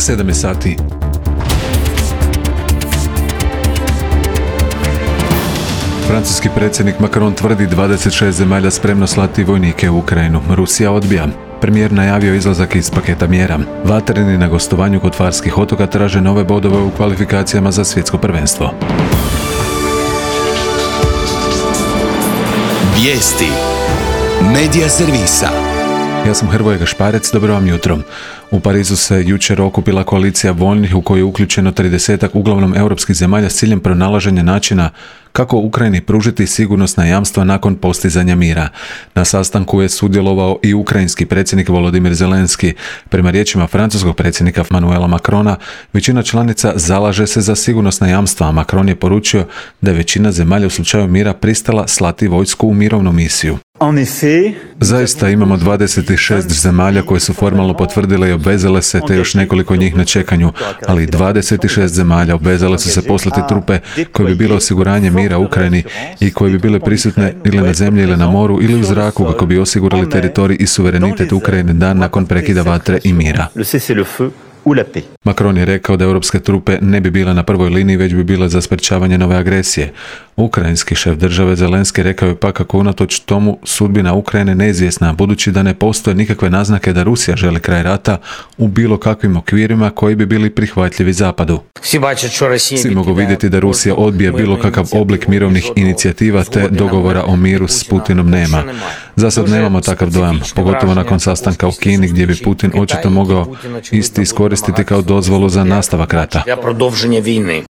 7 sati. Francuski predsjednik Macron tvrdi 26 zemalja spremno slati vojnike u Ukrajinu. Rusija odbija. Premijer najavio izlazak iz paketa mjera. Vatreni na gostovanju kod Farskih otoka traže nove bodove u kvalifikacijama za svjetsko prvenstvo. Vijesti Medija servisa. Ja sam Hrvoje Gašparec, dobro vam jutro. U Parizu se jučer okupila koalicija voljnih u kojoj je uključeno 30 uglavnom europskih zemalja s ciljem pronalaženja načina kako Ukrajini pružiti sigurnosna jamstva nakon postizanja mira. Na sastanku je sudjelovao i ukrajinski predsjednik Volodimir Zelenski. Prema riječima francuskog predsjednika Emmanuela Macrona, većina članica zalaže se za sigurnosna jamstva, a Macron je poručio da je većina zemalja u slučaju mira pristala slati vojsku u mirovnu misiju. Zaista imamo 26 zemalja koje su formalno potvrdile i obvezale se, te još nekoliko njih na čekanju, ali 26 zemalja obvezale su se poslati trupe koje bi bile osiguranje mira u Ukrajini i koje bi bile prisutne ili na zemlji ili na moru ili u zraku kako bi osigurali teritorij i suverenitet Ukrajine dan nakon prekida vatre i mira. Macron je rekao da europske trupe ne bi bile na prvoj liniji, već bi bile za sprečavanje nove agresije. Ukrajinski šef države Zelenski rekao je pa kako unatoč tomu sudbina Ukrajine neizvjesna, budući da ne postoje nikakve naznake da Rusija želi kraj rata u bilo kakvim okvirima koji bi bili prihvatljivi Zapadu. Svi mogu vidjeti da Rusija odbija bilo kakav oblik mirovnih inicijativa te dogovora o miru s Putinom nema. Za sad nemamo takav dojam, pogotovo nakon sastanka u Kini gdje bi Putin očito mogao isti iskoristiti kao dozvolu za nastavak rata.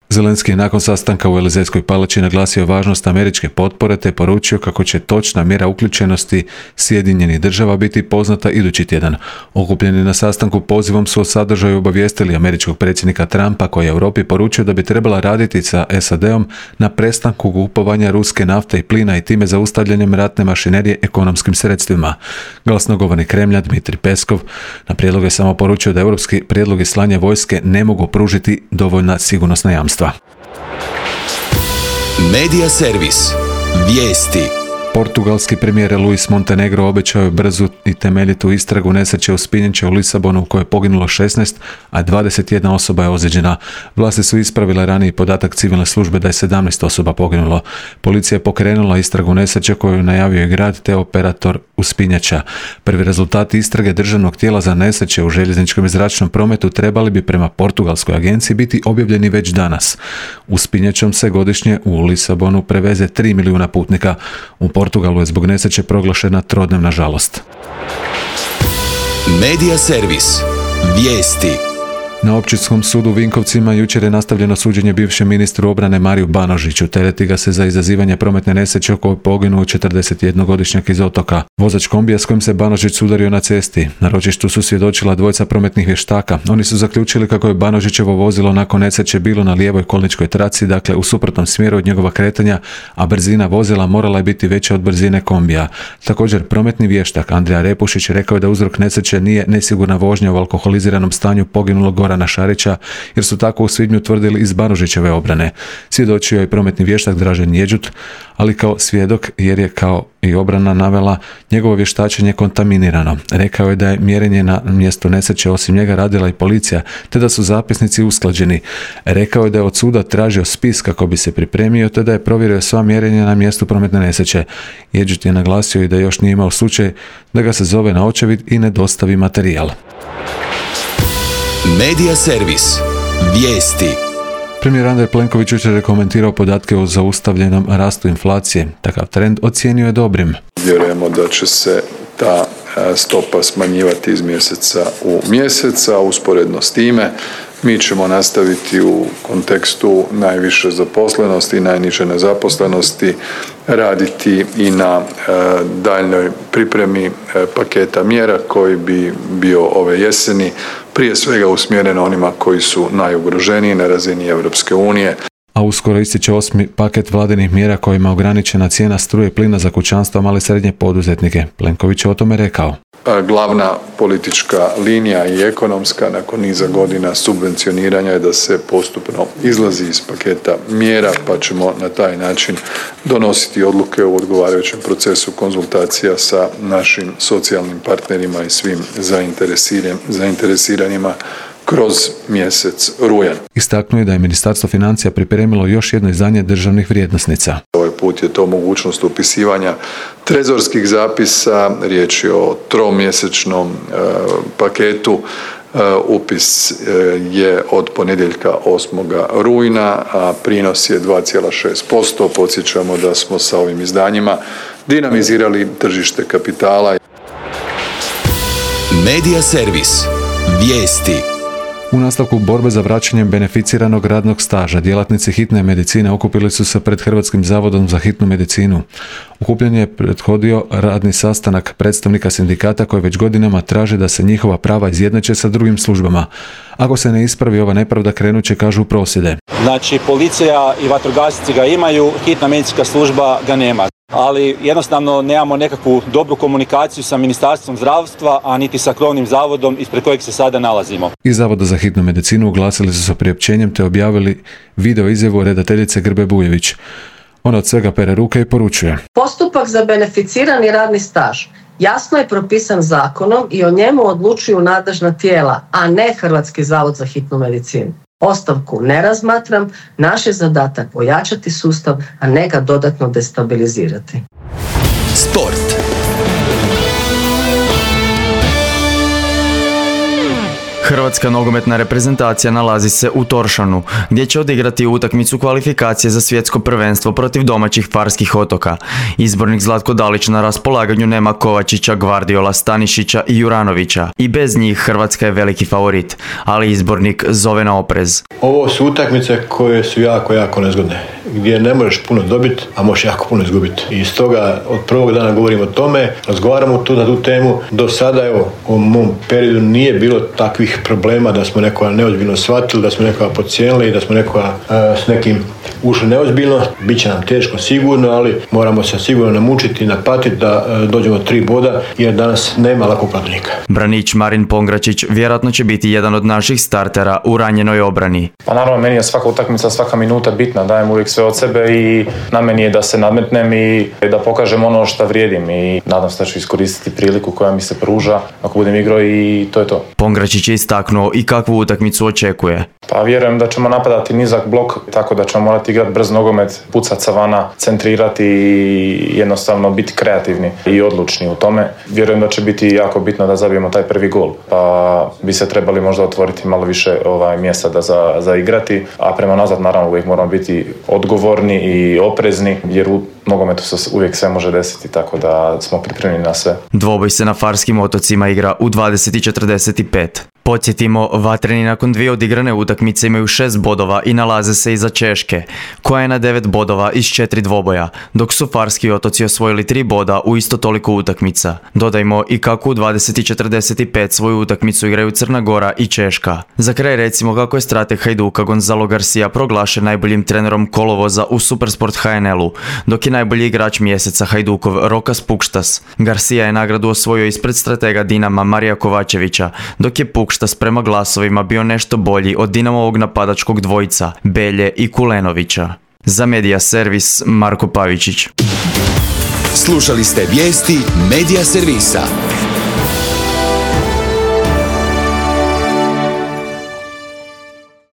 Zelenski je nakon sastanka u Elizejskoj palači naglasio važnost američke potpore te poručio kako će točna mjera uključenosti Sjedinjenih država biti poznata idući tjedan. Okupljeni na sastanku pozivom su o sadržaju obavijestili američkog predsjednika Trumpa koji je Europi poručio da bi trebala raditi sa SAD-om na prestanku kupovanja ruske nafte i plina i time zaustavljanjem ratne mašinerije ekonomskim sredstvima. Glasnogovornik Kremlja Dmitrij Peskov na prijedlog je samo poručio da europski prijedlogi slanja vojske ne mogu pružiti dovoljna sigurnosna jamstva. Medija servis. Vijesti. Portugalski premijer Luis Montenegro obećao je brzu i temeljitu istragu nesreće uspinjača u Lisabonu u kojoj je poginulo 16, a 21 osoba je ozlijeđena. Vlasti su ispravile raniji podatak civilne službe da je 17 osoba poginulo. Policija je pokrenula istragu nesreće koju je najavio i grad te operator uspinjača. Prvi rezultati istrage državnog tijela za nesreće u željezničkom i zračnom prometu trebali bi prema portugalskoj agenciji biti objavljeni već danas. Uspinjačom se godišnje u Lisabonu preveze 3 milijuna putnika. U Portugalu je zbog nesreće proglašena trodnevna žalost. Medija servis. Vijesti. Na Općinskom sudu u Vinkovcima jučer je nastavljeno suđenje bivšem ministru obrane Mariju Banožiću. Tereti ga se za izazivanje prometne nesreće u kojoj poginuo 41-godišnjak iz Otoka. Vozač kombija s kojim se Banožić sudario na cesti. Na ročištu su svjedočila dvojica prometnih vještaka. Oni su zaključili kako je Banožićevo vozilo nakon nesreće bilo na lijevoj kolničkoj traci, dakle u suprotnom smjeru od njegova kretanja, a brzina vozila morala je biti veća od brzine kombija. Također, prometni vještak Andrija Repušić rekao je da uzrok nesreće nije nesigurna vožnja u alkoholiziranom stanju poginulog Gorana Šarića, jer su tako u svibnju tvrdili iz Banožićeve obrane. Svjedočio je prometni vještak Dražen Jeđut, ali kao svjedok jer je kao i obrana navela njegovo vještačenje kontaminirano. Rekao je da je mjerenje na mjestu nesreće osim njega radila i policija, te da su zapisnici usklađeni. Rekao je da je od suda tražio spis kako bi se pripremio, te da je provjerio sva mjerenja na mjestu prometne nesreće. Jeđut je naglasio i da još nije imao slučaj da ga se zove na očevid i ne dostavi materijal. Medija servis. Vijesti. Premijer Andrej Plenković jučer je komentirao podatke o zaustavljenom rastu inflacije. Takav trend ocijenio je dobrim. Vjerujemo da će se ta stopa smanjivati iz mjeseca u mjesec, a usporedno s time mi ćemo nastaviti u kontekstu najviše zaposlenosti i najniže nezaposlenosti raditi i na daljnjoj pripremi paketa mjera koji bi bio ove jeseni, prije svega usmjeren onima koji su najugroženiji na razini Europske unije. A uskoro ističe 8. paket vladinih mjera kojima je ograničena cijena struje i plina za kućanstva, male i srednje poduzetnike. Plenković je o tome rekao. Glavna politička linija i ekonomska nakon niza godina subvencioniranja je da se postupno izlazi iz paketa mjera, pa ćemo na taj način donositi odluke u odgovarajućem procesu konzultacija sa našim socijalnim partnerima i svim zainteresiranima kroz mjesec rujan. Istaknuo je da je Ministarstvo financija pripremilo još jedno izdanje državnih vrijednosnica. Ovaj put je to mogućnost upisivanja trezorskih zapisa, riječ je o tromjesečnom paketu. Upis je od ponedjeljka 8. rujna, a prinos je 2,6%. Podsjećamo da smo sa ovim izdanjima dinamizirali tržište kapitala. Medija servis. Vijesti. U nastavku borbe za vraćanjem beneficiranog radnog staža, djelatnici hitne medicine okupili su se pred Hrvatskim zavodom za hitnu medicinu. Okupljen je prethodio radni sastanak predstavnika sindikata koji već godinama traže da se njihova prava izjednače sa drugim službama. Ako se ne ispravi ova nepravda, krenut će, kažu, prosvjede. Znači, policija i vatrogasci ga imaju, hitna medicinska služba ga nema. Ali jednostavno nemamo nekakvu dobru komunikaciju sa Ministarstvom zdravstva, a niti sa krovnim zavodom ispred kojeg se sada nalazimo. Iz Zavoda za hitnu medicinu oglasili su se priopćenjem te objavili video izjavu redateljice Grbe Bujević. Ona od svega pere ruke i poručuje: Postupak za beneficirani radni staž jasno je propisan zakonom i o njemu odlučuju nadležna tijela, a ne Hrvatski zavod za hitnu medicinu. Ostavku ne razmatram, naš je zadatak ojačati sustav, a ne ga dodatno destabilizirati. Sport. Hrvatska nogometna reprezentacija nalazi se u Toršanu, gdje će odigrati utakmicu kvalifikacije za svjetsko prvenstvo protiv domaćih Farskih otoka. Izbornik Zlatko Dalić na raspolaganju nema Kovačića, Gvardiola, Stanišića i Juranovića. I bez njih Hrvatska je veliki favorit, ali izbornik zove na oprez. Ovo su utakmice koje su jako nezgodne, gdje ne možeš puno dobiti, a možeš jako puno izgubiti. I stoga od prvog dana govorimo o tome, razgovaramo na tu temu. Do sada, u mom periodu nije bilo takvih problema da smo nekoga neozbiljno shvatili, da smo nekoga podcijenili, da smo nekoga s nekim ušli neozbiljno. Biće nam teško sigurno, ali moramo se sigurno namučiti i napatiti da dođemo 3 boda, jer danas nema lakog protivnika. Branić Marin Pongračić vjerojatno će biti jedan od naših startera u ranjenoj obrani. Pa naravno, meni je svaka utakmica, svaka minuta bitna, dajem uvijek sve od sebe i na meni je da se nadmetnem i da pokažem ono što vrijedim i nadam se da ću iskoristiti priliku koja mi se pruža ako budem igrao i to je to. Pongračić je istaknuo i kakvu utakmicu očekuje. Pa vjerujem da ćemo napadati nizak blok, tako da ćemo morati igrati brz nogomet, pucat sa vana, centrirati i jednostavno biti kreativni i odlučni u tome. Vjerujem da će biti jako bitno da zabijemo taj prvi gol, pa bi se trebali možda otvoriti malo više mjesta za igrati, a prema nazad naravno uvijek moramo biti odgovorni i oprezni, jer u nogometu se uvijek sve može desiti, tako da smo pripremljeni na sve. Dvoboj se na Farskim otocima igra u 20:45. Podsjetimo, vatreni nakon 2 odigrane utakmice imaju 6 bodova i nalaze se iza Češke, koja je na 9 bodova iz 4 dvoboja, dok su Farski otoci osvojili 3 boda u isto toliko utakmica. Dodajmo i kako u 20:45 svoju utakmicu igraju Crna Gora i Češka. Za kraj recimo kako je strateg Hajduka Gonzalo Garcia proglašen najboljim trenerom kolovoza u Supersport HNL-u, dok je najbolji igrač mjeseca Hajdukov Rokas Pukštas. Garcia je nagradu osvojio ispred stratega Dinama Marija Kovačevića, dok je Pukštas prema glasovima bio nešto bolji od Dinamovog napadačkog dvojica Belje i Kulenovića. Za Medija servis Marko Pavičić. Slušali ste vijesti Medija servisa.